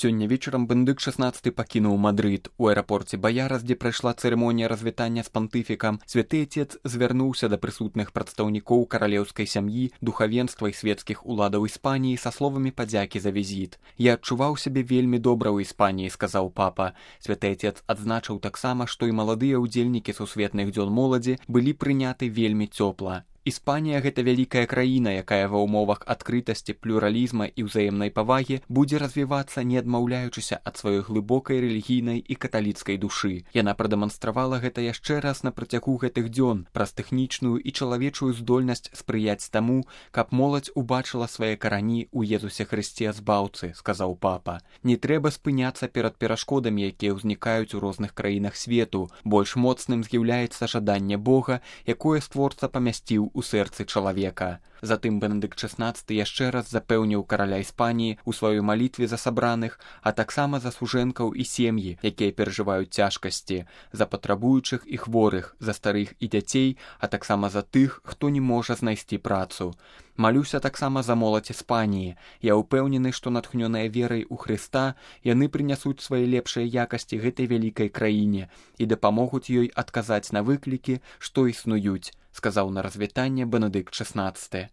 Сёння вечарам Бенедыкт XVI пакінуў Мадрыд. У аэрапорце Баярас, дзе прайшла цырымонія развітання з пантыфікам, святы отец звярнуўся да прысутных прадстаўнікоў каралеўскай сям'і, духавенства і светскіх уладаў Іспаніі са словамі падзякі за візіт. «Я адчуваў сябе вельмі добра ў Іспаніі», — сказаў папа. Святы отец адзначыў таксама, што і маладыя ўдзельнікі сусветных дзён моладзі былі прыняты вельмі цёпла. Іспанія — гэта вялікая краіна, якая ва ўмовах адкрытасці, плюралізма і ўзаемнай павагі будзе развівацца, не адмаўляючыся ад сваёй глыбокай рэлігійнай і каталіцкай душы. Яна прадэманстравала гэта яшчэ раз на працягу гэтых дзён праз тэхнічную і чалавечую здольнасць спрыяць таму, каб моладзь убачыла свае карані ў Езусе Хрысце Збаўцы, сказаў папа. Не трэба спыняцца перад перашкодамі, якія ўзнікаюць у розных краінах свету. Больш моцным з'яўляецца жаданне Бога, якое створца памясціў у сэрцы чалавека. Затым Бенедыкт XVI яшчэ раз запэўніў караля Іспаніі ў сваёй малітве за сабраных, а таксама за сужэнкаў і сем'і, якія перажываюць цяжкасці, за патрабуючых і хворых, за старых і дзяцей, а таксама за тых, хто не можа знайсці працу. Малюся таксама за моладзь Іспаніі. Я ўпэўнены, што натхнёныя верай у Хрыста, яны прынясуць свае лепшыя якасці гэтай вялікай краіне і дапамогуць ёй адказаць на выклікі, што існуюць, сказаў на развітанне Бенедыкт XVI.